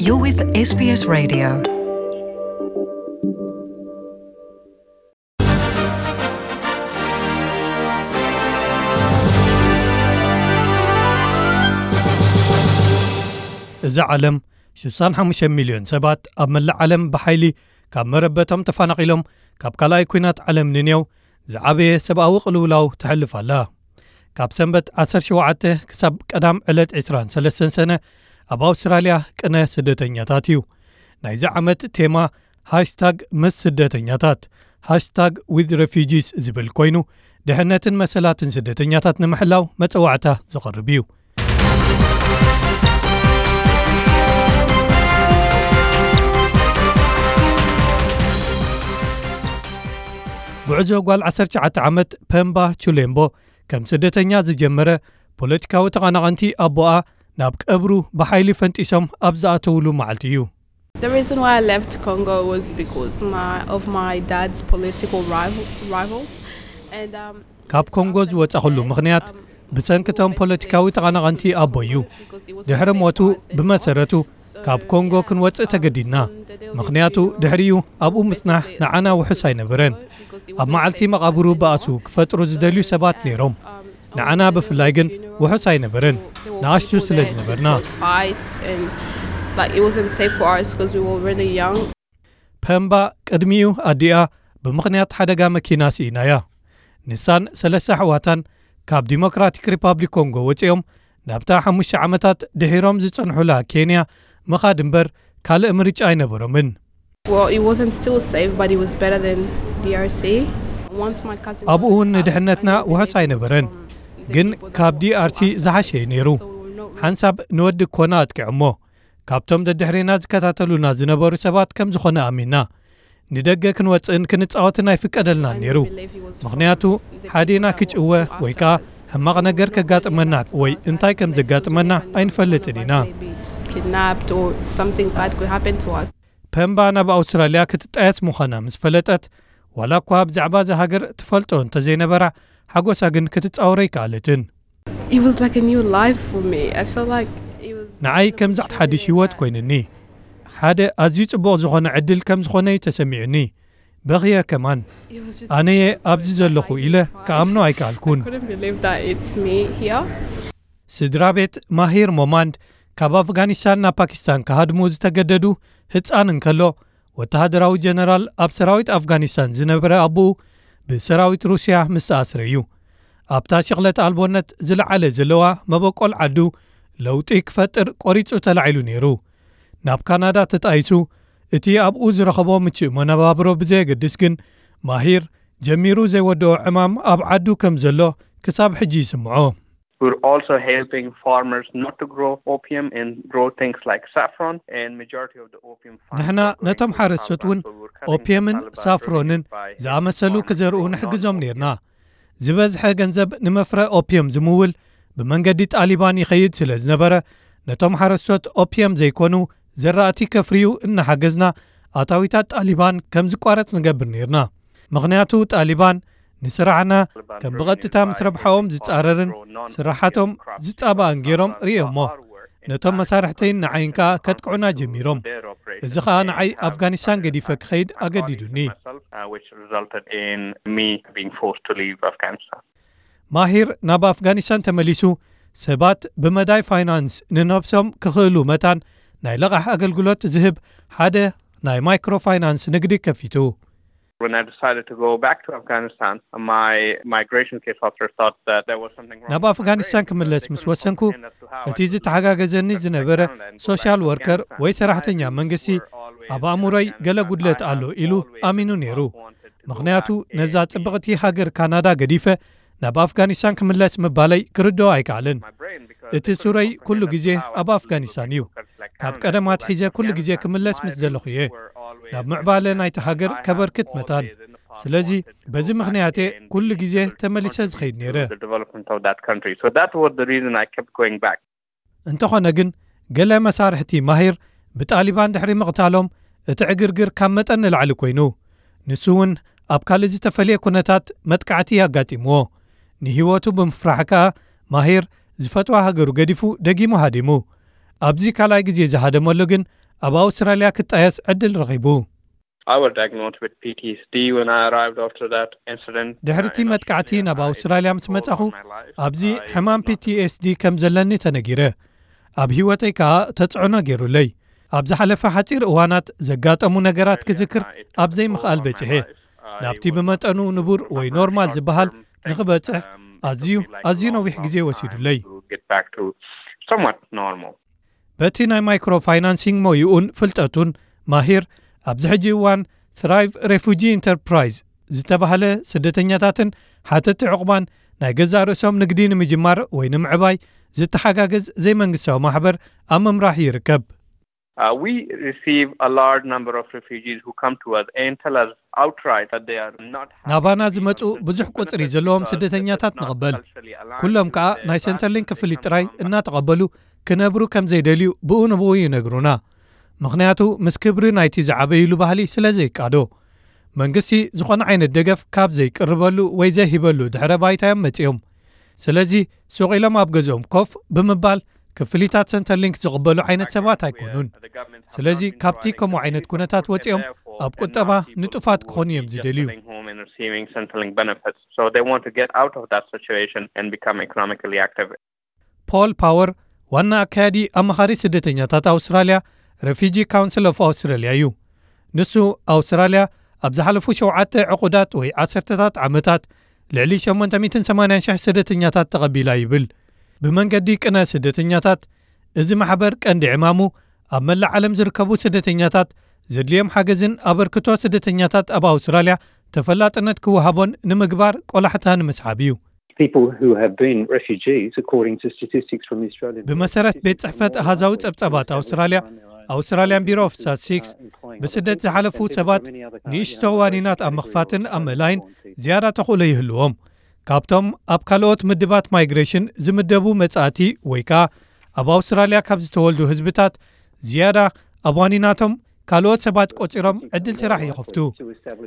You're with S B S Radio. እዛ ዓለም ሽሳን ሓሙሽተ ሚልዮን ሰባት ኣብ መላእ ዓለም ብሓይሊ ካብ መረበቶም ተፈናቒሎም ካብ ካልኣይ ኲናት ዓለም ንኔው ዝዓበየ ሰብኣዊ ቅልውላው ተሕልፍ ኣላ። ካብ ሰንበት ዓሰርተ ሸውዓተ ክሳብ ቀዳም ዕለት ዕስራን ሰለስተን ሰነ ኣብ ኣውስትራልያ ቅነ ስደተኛታት እዩ። ናይዚ ዓመት ቴማ ሃሽታግ ምስ ስደተኛታት፣ ሃሽታግ ዊዝ ረፊጂስ ዝብል ኮይኑ፣ ድሕነትን መሰላትን ስደተኛታት ንምሕላው መጸዋዕታ ዝቐርብ እዩ። ጉዕዞ ጓል ዓሰርተ ትሽዓተ ዓመት ፐምባ ቹሌምቦ ከም ስደተኛ ዝጀመረ፣ ፖለቲካዊ ተቐናቐንቲ ኣቦኣ ናብ ቀብሩ ብሓይሊ ፈንጢሶም ኣብ ዝኣተውሉ መዓልቲ እዩ። The reason why I left Congo was because my, of my dad's political rival, rivals. And, um, ካብ ኮንጎ ዝወጻኹሉ ምኽንያት ብሰንክቶም ፖለቲካዊ ተቐናቐንቲ ኣቦ እዩ። ድሕሪ ሞቱ፣ ብመሰረቱ ካብ ኮንጎ ክንወጽእ ተገዲድና። ምኽንያቱ ድሕሪኡ ኣብኡ ምጽናሕ ንዓና ውሑስ ኣይነበረን። ኣብ መዓልቲ መቓብሩ ባእሱ ክፈጥሩ ዝደልዩ ሰባት ነይሮም። ንዓና ብፍላይ ግን ውሑስ ኣይነበረን፣ ንኣሽቱ ስለ ዝነበርና። Fights and, like, it wasn't safe for us because we were really young. ፐምባ ቅድሚኡ ኣዲኣ ብምኽንያት ሓደጋ መኪና ስኢናያ። ንሳን ሰለስተ ኣሕዋታን ካብ ዲሞክራቲክ ሪፓብሊክ ኮንጎ ወጺኦም ናብታ ሓሙሽተ ዓመታት ድሒሮም ዝጸንሑላ ኬንያ ምኻድ እምበር ካልእ ምርጫ ኣይነበሮምን። Well, it wasn't still safe, but it was better than D R C. Once my cousin ኣብኡ እውን ንድሕነትና ውሑስ ኣይነበረን፣ ግን ካብ ዲ ኣር ሲ ዝሓሸ እዩ ነይሩ። ሓንሳብ ንወዲ ኮና ኣጥቂዖሞ። ካብቶም ደድሕሬና ዝከታተሉና ዝነበሩ ሰባት ከም ዝኾነ ኣሚንና። ንደገ ክንወጽእን ክንጻወትን ኣይፍቀደልናን ነይሩ። ምኽንያቱ ሓዴና ክጭወ ወይ ከኣ ሕማቕ ነገር ከጋጥመና ወይ እንታይ ከም ዘጋጥመና ኣይንፈልጥን ኢና። Kidnapped or something bad could happen to us. ፐምባ ናብ ኣውስትራልያ ክትጣየስ ምዃና ምስ ፈለጠት፣ ዋላ እኳ ብዛዕባ እዛ ሃገር ትፈልጦ እንተዘይነበራ፣ ሓጎሳ ግን ክትጻወሮ ኣይከኣለትን። It was like a new life for me. I felt like it was ንዓይ ከምዚ ሓድሽ ህይወት ኮይንኒ። ሓደ ኣዝዩ ጽቡቕ ዝኾነ ዕድል ከም ዝኾነ እዩ ተሰሚዑኒ። በኽየ ከማን። ኣነየ ኣብዚ ዘለኹ ኢለ ክኣምኖ ኣይከኣልኩን። I couldn't believe that it's me here. ስድራ ቤት ማሂር ሞማንድ ካብ ኣፍጋኒስታን ናብ ፓኪስታን ክሃድሙ ዝተገደዱ ህጻን እንከሎ፣ ወተሃደራዊ ጀነራል ኣብ ሰራዊት ኣፍጋኒስታን ዝነበረ ኣቦኡ ብሰራዊት ሩስያ ምስ ተኣስረ እዩ። ኣብታ ሽቕለት ኣልቦነት ዝለዓለ ዘለዋ መበቆል ዓዱ ለውጢ ክፈጥር ቆሪጹ ተላዒሉ ነይሩ። ናብ ካናዳ ተጣይሱ፣ እቲ ኣብኡ ዝረኸቦ ምቹእ መነባብሮ ብዘየገድስ ግን፣ ማሂር ጀሚሩ ዘይወድኦ ዕማም ኣብ ዓዱ ከም ዘሎ ክሳብ ሕጂ ይስምዖ። We're also helping farmers not to grow opium and grow things like saffron, and majority of the opium farms ንሕና are going ነቶም to ሓረስቶት እውን Kabangui, which is ኦፒየምን currently ሳፍሮንን by ዝኣመሰሉ ክዘርኡ ንሕግዞም ነይርና። ዝበዝሐ ገንዘብ ንመፍረ ኦፒየም ዝምውል ብመንገዲ ጣሊባን ይኸይድ ስለ ዝነበረ፣ ነቶም ሓረስቶት ኦፒየም ዘይኮኑ ዘራእቲ ከፍርዩ እናሓገዝና፣ ኣታዊታት ጣሊባን ከም ዝቋረጽ ንገብር ነይርና። ምኽንያቱ ጣሊባን ንስራሕና ከም ብቐጥታ ምስ ረብሓኦም ዝጻረርን ስራሓቶም ዝጻባእን ገይሮም ርእዮሞ። ነቶም መሳርሕተይን ንዓይን ከኣ ከጥቅዑና ጀሚሮም። እዚ ኸኣ ንዓይ ኣፍጋኒስታን ገዲፈ ክኸይድ ኣገዲዱኒ። ማሂር ናብ ኣፍጋኒስታን ተመሊሱ፣ ሰባት ብመዳይ ፋይናንስ ንነብሶም ክኽእሉ መታን ናይ ለቓሕ ኣገልግሎት ዝህብ ሓደ ናይ ማይክሮ ፋይናንስ ንግዲ ከፊቱ። When I decided to go back to Afghanistan, my migration case officer thought that there was something wrong ናብ with my አፍጋኒስታን brain, so ክምለስ they ምስ couldn't ወሰንኩ፣ comprehend as to how I እቲ could ዝተሓጋገዘኒ leave ዝነበረ Canada and go back ሶሻል to ወርከር Afghanistan. ወይ ሰራሕተኛ መንግስቲ ኣብ ኣእምሮይ ገለ ጉድለት ኣሎ ኢሉ ኣሚኑ ነይሩ። ምኽንያቱ ነዛ ጽብቕቲ ሃገር ካናዳ ገዲፈ ናብ ኣፍጋኒስታን ክምለስ ምባለይ ክርድኦ ኣይከኣለን። እቲ ሱረይ ኩሉ ግዜ ኣብ ኣፍጋኒስታን እዩ። ካብ ቀደም ኣትሒዘ ኩሉ ግዜ ክምለስ ምስ ዘለኹ እየ ናብ ምዕባለ ናይቲ ሃገር ከበርክት መታን። ስለዚ በዚ ምኽንያት እየ ኩሉ ግዜ ተመሊሰ ዝኸይድ ነይረ። The development of that country. So that was the reason I kept going back. እንተኾነ ግን፣ ገለ መሳርሕቲ ማሂር ብጣሊባን ድሕሪ ምቕታሎም፣ እቲ ዕግርግር ካብ መጠን ንላዕሊ ኮይኑ። ንሱ እውን ኣብ ካልእ ዝተፈልየ ኩነታት መጥቃዕቲ ኣጋጢምዎ። ንህይወቱ ብምፍራሕ ከኣ፣ ማሂር ዝፈትዋ ሃገሩ ገዲፉ ደጊሙ ሃዲሙ። ኣብዚ ካልኣይ ግዜ ዝሃደመሉ ግን፣ ኣብ ኣውስትራልያ ክጣየስ ዕድል ረኺቡ። I was diagnosed with P T S D when I arrived after that incident. ድሕሪቲ መጥቃዕቲ ናብ ኣውስትራልያ ምስ መጻኹ፣ ኣብዚ ሕማም P T S D ከም ዘለኒ ተነጊረ። ኣብ ህይወተይ ከኣ ተጽዕኖ ገይሩለይ። ኣብ ዝሓለፈ ሓጺር እዋናት ዘጋጠሙ ነገራት ክዝክር ኣብ ዘይምኽኣል በጺሐ። ናብቲ ብመጠኑ ንቡር ወይ ኖርማል ዝበሃል ንኽበጽሕ ኣዝዩ ኣዝዩ ነዊሕ ግዜ ወሲዱለይ። Get back to somewhat normal. በቲ ናይ ማይክሮ ፋይናንሲንግ ሞይኡን ፍልጠቱን፣ ማሂር ኣብዚ ሕጂ እዋን ትራይቭ ሬፉጂ ኢንተርፕራይዝ ዝተባህለ ስደተኛታትን ሓተቲ ዕቑባን ናይ ገዛእ ርእሶም ንግዲ ንምጅማር ወይ ንምዕባይ ዝተሓጋግዝ ዘይመንግስታዊ ማሕበር ኣብ ምምራሕ ይርከብ። Uh, we receive a large number of refugees who come to us and tell us outright that they are not happy ናባና to be ዝመጹ on Centrelink ብዙሕ ቁጽሪ benefits ዘለዎም because ስደተኛታት it's not ንቕበል። culturally aligned ኩሎም with ከኣ the ናይ values ሰንተርሊንክ they ክፍሊት come ጥራይ from. እናተቐበሉ ክነብሩ ከም ዘይደልዩ ብኡ ንብኡ ይነግሩና። ምኽንያቱ ምስ ክብሪ ናይቲ ዝዓበይሉ ባህሊ ስለ ዘይቃዶ። መንግስቲ ዝኾነ ዓይነት ደገፍ ካብ ዘይቅርበሉ ወይ ዘይሂበሉ ድሕረ ባይታ እዮም መጺኦም። ስለዚ ሱቕ ኢሎም ኣብ ገዝኦም ኮፍ ብምባል ክፍሊታት ሰንተርሊንክ ዝቕበሉ ዓይነት ሰባት ኣይኮኑን። ስለዚ ካብቲ ከምኡ ዓይነት ኩነታት ወጺኦም ኣብ ቁጠባ ንጡፋት ክኾኑ እዮም ዝደልዩ። Home and receiving Centrelink benefits. So they want to get out of that situation and become economically active. ፖል ፓወር ዋና ኣካያዲ ኣማኻሪ ስደተኛታት ኣውስትራልያ፣ ሬፊጂ ካውንስል ኦፍ ኣውስትራልያ እዩ። ንሱ ኣውስትራልያ ኣብ ዝሓለፉ ሸውዓተ ዕቑዳት ወይ ዓሰርተታት ዓመታት ልዕሊ ሸሞንተ ሚእትን ሰማንያን ሽሕ ስደተኛታት ተቐቢላ ይብል። ብመንገዲ ቅነ ስደተኛታት፣ እዚ ማሕበር ቀንዲ ዕማሙ ኣብ መላእ ዓለም ዝርከቡ ስደተኛታት ዘድልዮም ሓገዝን ኣበርክቶ ስደተኛታት ኣብ ኣውስትራልያ ተፈላጥነት ክወሃቦን ንምግባር ቆላሕታ ንምስሓብ እዩ። People who have been refugees, according to statistics from the Australian ብመሰረት ቤት ጽሕፈት ኣሃዛዊ ጸብጻባት ኣውስትራልያ፣ ኣውስትራልያን ቢሮ ኦፍ ስታቲስቲክስ፣ ብስደት ዝሓለፉ ሰባት ንእሽቶ ዋኒናት ኣብ ምኽፋትን ኣብ ምእላይን ዝያዳ ተኽእሎ ይህልዎም። ካብቶም ኣብ ካልኦት ምድባት ማይግሬሽን ዝምደቡ መጻእቲ ወይ ከኣ ኣብ ኣውስትራልያ ካብ ዝተወልዱ ህዝብታት ዝያዳ ኣብ ዋኒናቶም ካልኦት ሰባት ቆጺሮም ዕድል ስራሕ ይኸፍቱ።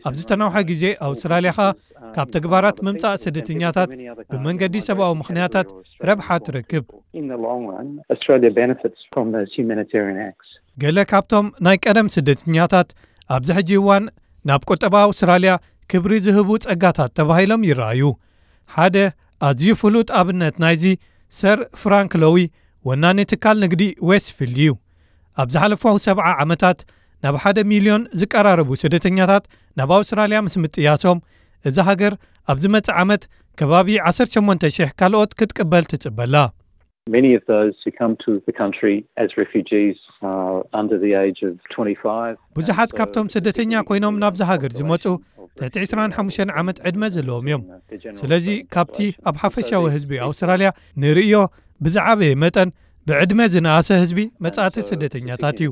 ኣብ ዝተናውሐ ግዜ ኣውስትራልያ ኸኣ ካብ ተግባራት ምምጻእ ስደተኛታት ብመንገዲ ሰብኣዊ ምኽንያታት ረብሓ ትረክብ። In the long run, Australia benefits from those humanitarian acts. ገለ ካብቶም ናይ ቀደም ስደተኛታት ኣብዚ ሕጂ እዋን ናብ ቁጠባ ኣውስትራልያ ክብሪ ዝህቡ ጸጋታት ተባሂሎም ይረኣዩ። ሓደ ኣዝዩ ፍሉጥ ኣብነት ናይዚ ሰር ፍራንክ ሎዊ፣ ወናኒ ትካል ንግዲ ዌስትፊልድ እዩ። ኣብ ዝሓለፉ ሰብዓ ዓመታት ናብ ሓደ ሚልዮን ዝቀራረቡ ስደተኛታት ናብ ኣውስትራልያ ምስ ምጥያሶም፣ እዛ ሃገር ኣብ ዝመጽእ ዓመት ከባቢ ዓሰርተ ሸሞንተ ሽሕ ካልኦት ክትቅበል ትጽበላ። Many of those who come to the country as refugees are under the age of twenty-five. ብዙሓት ካብቶም ስደተኛ ኮይኖም ናብዚ ሃገር ዝመጹ ትሕቲ ዕስራን ሓሙሽተን ዓመት ዕድመ ዘለዎም እዮም። ስለዚ ካብቲ ኣብ ሓፈሻዊ ህዝቢ ኣውስትራልያ ንርእዮ ብዝዓበየ መጠን ብዕድመ ዝነኣሰ ህዝቢ መጻእቲ ስደተኛታት እዩ።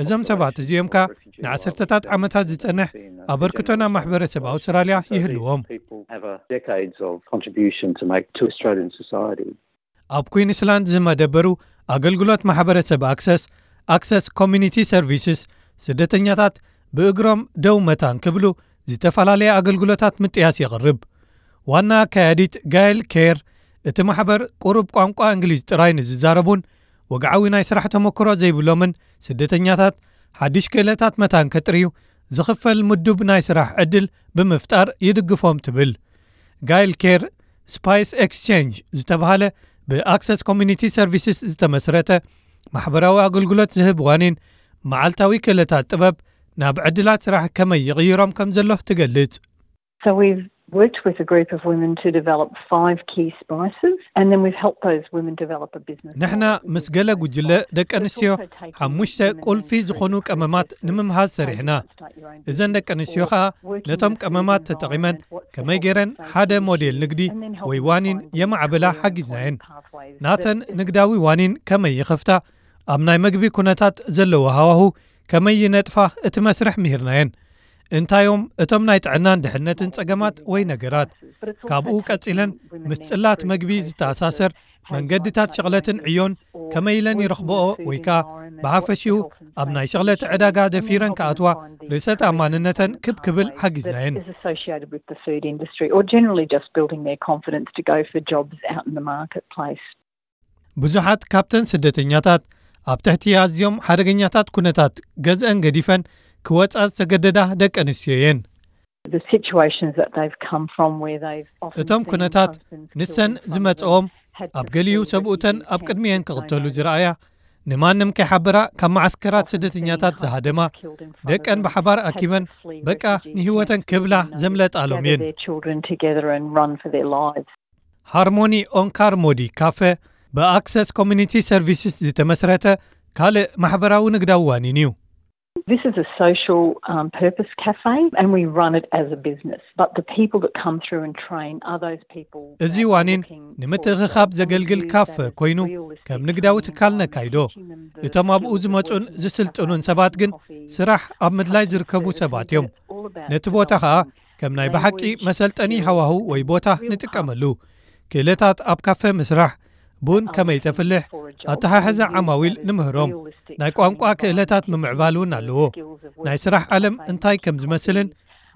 እዞም ሰባት እዚኦም ከኣ ንዓሰርተታት ዓመታት ዝጸንሕ ኣበርክቶ ናብ ማሕበረሰብ ኣውስትራልያ ይህልዎም። People have a decades of contribution to make to Australian society. ኣብ ኩዊንስላንድ ዝመደበሩ ኣገልግሎት ማሕበረሰብ ኣክሰስ፣ ኣክሰስ ኮሚኒቲ ሰርቪስስ፣ ስደተኛታት ብእግሮም ደው መታን ክብሉ ዝተፈላለየ ኣገልግሎታት ምጥያስ የቕርብ። ዋና ኣካያዲት ጋይል ኬር፣ እቲ ማሕበር ቁሩብ ቋንቋ እንግሊዝ ጥራይ ንዝዛረቡን ወግዓዊ ናይ ስራሕ ተመክሮ ዘይብሎምን ስደተኛታት ሓድሽ ክእለታት መታን ከጥርዩ ዝኽፈል ምዱብ ናይ ስራሕ ዕድል ብምፍጣር ይድግፎም ትብል። ጋይል ኬር ስፓይስ ኤክስቼንጅ ዝተባህለ ብኣክሰስ ኮሚኒቲ ሰርቪስስ ዝተመስረተ ማሕበራዊ ኣገልግሎት ዝህብ ዋኒን መዓልታዊ ክእለታት ጥበብ ናብ ዕድላት ስራሕ ከመይ ይቕይሮም ከም ዘሎ ትገልጽ። So we've worked with a group of women to develop five key spices, and then we've helped those women develop a business. ንሕና ምስ ገለ ጉጅለ ደቂ ኣንስትዮ ሓሙሽተ ቁልፊ ዝኾኑ ቀመማት ንምምሃዝ ሰሪሕና። እዘን ደቂ ኣንስትዮ ኸኣ ነቶም ቀመማት ተጠቒመን ከመይ ገይረን ሓደ ሞዴል ንግዲ ወይ ዋኒን የማዕብላ ሓጊዝናየን። ናተን ንግዳዊ ዋኒን ከመይ ይኸፍታ፣ ኣብ ናይ መግቢ ኩነታት ዘለዎ ሃዋሁ ከመይ ይነጥፋ፣ እቲ መስርሕ ምሂርናየን። እንታዮም እቶም ናይ ጥዕናን ድሕነትን ጸገማት ወይ ነገራት። ካብኡ ቀጺለን ምስ ጽላት መግቢ ዝተኣሳሰር መንገድታት ሸቕለትን ዕዮን ከመይ ኢለን ይረኽብኦ ወይ ከኣ ብሓፈሽኡ ኣብ ናይ ሸቕለት ዕዳጋ ደፊረን ክኣትዋ ርእሰ ተኣማንነተን ክብ ክብል ሓጊዝናየን። Is associated with the food industry, or generally just building their confidence to go for jobs out in the marketplace. ብዙሓት ካብተን ስደተኛታት ኣብ ትሕቲ ኣዝዮም ሓደገኛታት ኩነታት ገዝአን ገዲፈን ክወጻ ዝተገደዳ ደቂ ኣንስትዮ እየን። The situations that they've come from, where they've often እቶም seen ኩነታት husbands ንሰን killed in front of ዝመጽኦም them, had ኣብ to ገሊኡ flee ሰብኡተን refugees ኣብ camps ቅድሚኤን because they ክቕተሉ know ዝረኣያ፣ ንማንም ከይሓበራ ካብ መዓስከራት often seen ስደተኛታት husbands ዝሃደማ፣ killed in front of ደቀን them, ብሓባር had to ኣኪበን flee በቃ refugee ንህይወተን camps ክብላ because they know ዘምለጣሎም gather እየን። their children together and run for their lives. ሃርሞኒ ኦንካር ሞዲ ካፈ ብኣክሰስ ኮሚኒቲ ሰርቪስስ ዝተመስረተ ካልእ ማሕበራዊ ንግዳዊ ዋኒን እዩ። This is a social um, purpose cafe, and we run it as a business. But the people that come through and train are those people እዚ that are ዋኒን looking for ንምትእኽኻብ jobs, and we ዘገልግል use ካፈ that as ኮይኑ realistic ከም ንግዳዊ kind of ትካል environment, ነካይዶ። teaching them the እቶም ኣብኡ skills of ዝመጹን working as ዝስልጥኑን cafes, ሰባት ግን coffee, ስራሕ ኣብ ምድላይ customer ዝርከቡ service, ሰባት because እዮም። it's all about ነቲ ቦታ ኸኣ ከም ናይ ብሓቂ መሰልጠኒ ሃዋህው ወይ ቦታ ንጥቀመሉ። ክእለታት ኣብ ካፈ ምስራሕ፣ ቡን ከመይ ተፍልሕ፣ ኣተሓሕዛ ዓማዊል ንምህሮም። ናይ ቋንቋ ክእለታት ምምዕባል እውን ኣለዎ። ናይ ስራሕ ዓለም እንታይ ከም ዝመስልን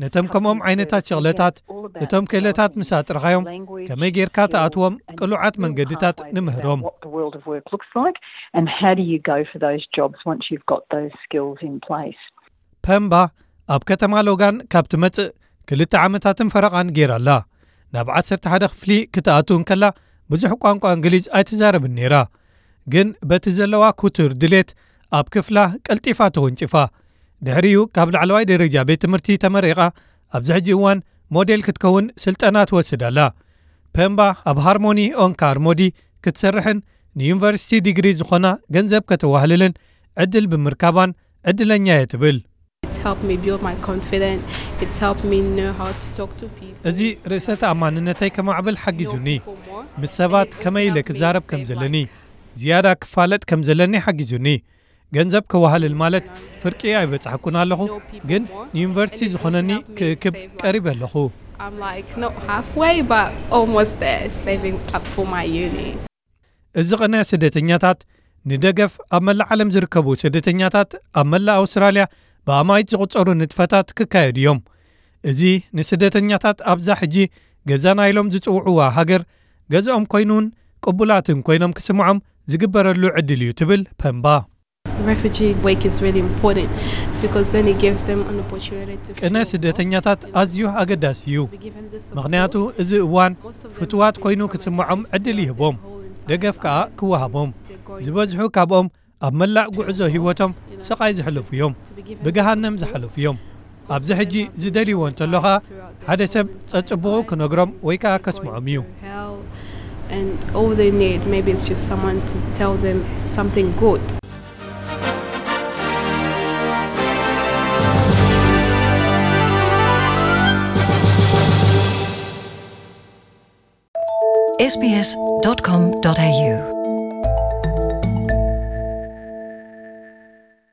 ነቶም ከምኦም ዓይነታት ሸቕለታት እቶም ክእለታት ምስ ኣጥረኻዮም ከመይ ጌርካ ትኣትዎም ቅሉዓት መንገድታት ንምህሮም። What the world of work looks like, and how do you go for those jobs once you've got those skills in place? ፐምባ ኣብ ከተማ ሎጋን ካብ ትመጽእ ክልተ ዓመታትን ፈረቓን ጌራ ኣላ። ናብ ዓሰርተ ሓደ ክፍሊ ክትኣቱ እንከላ ብዙሕ ቋንቋ እንግሊዝ ኣይትዛረብን ነይራ። ግን በቲ ዘለዋ ክቱር ድሌት ኣብ ክፍላ ቀልጢፋ ተወንጭፋ። ድሕሪኡ ካብ ላዕለዋይ ደረጃ ቤት ትምህርቲ ተመሪቓ ኣብዚ ሕጂ እዋን ሞዴል ክትከውን ስልጠና ትወስድ ኣላ። ፐምባ ኣብ ሃርሞኒ ኦንካር ሞዲ ክትሰርሕን ንዩኒቨርሲቲ ዲግሪ ዝኾና ገንዘብ ከተዋህልልን ዕድል ብምርካባን ዕድለኛ እየ ትብል። It helped me build my confidence. It helped me know how to talk to people. እዚ ርእሰ ተኣማንነተይ ከማዕብል ሓጊዙኒ። ምስ ሰባት ከመይ ኢለ ክዛረብ ከም ዘለኒ፣ ዝያዳ ክፋለጥ ከም ዘለኒ ሓጊዙኒ። ገንዘብ ከዋህልል ማለት ፍርቂ ኣይበጻሕኩን ኣለኹ፣ ግን ንዩኒቨርሲቲ ዝኾነኒ ክእክብ ቀሪበ ኣለኹ። I'm like not halfway, but almost there, saving up for my uni. እዚ ቅነ ስደተኛታት ንደገፍ ኣብ መላእ ዓለም ዝርከቡ ስደተኛታት ኣብ መላእ ኣውስትራልያ ብኣማኢት ዝቑጸሩ ንጥፈታት ክካየዱ እዮም። እዚ ንስደተኛታት ኣብዛ ሕጂ ገዛና ኢሎም ዝጽውዕዋ ሃገር ገዝኦም ኮይኑን ቅቡላትን ኮይኖም ክስምዖም ዝግበረሉ ዕድል እዩ ትብል ፐምባ። Refugee work is really important because then it gives them an opportunity to ቅነ feel ስደተኛታት ኣዝዩ ኣገዳሲ እዩ። to be given the support. ምኽንያቱ እዚ እዋን Most of them ፍትዋት feel ኮይኑ traumatized ክስምዖም ዕድል throughout ይህቦም፣ their whole entire ደገፍ ከኣ lives. ክወሃቦም። They're going ዝበዝሑ through ካብኦም ኣብ መላእ ጉዕዞ ህይወቶም ስቓይ ዘሕለፉ እዮም። ብገሃነም ዘሕለፉ እዮም። ኣብዚ ሕጂ ዝደልይዎ እንተሎ ኸኣ ሓደ ሰብ ጸጽቡቑ ክነግሮም ወይ ከኣ ከስምዖም እዩ። Hell, and all they need, maybe it's just someone to tell them something good. S B S dot com dot A U.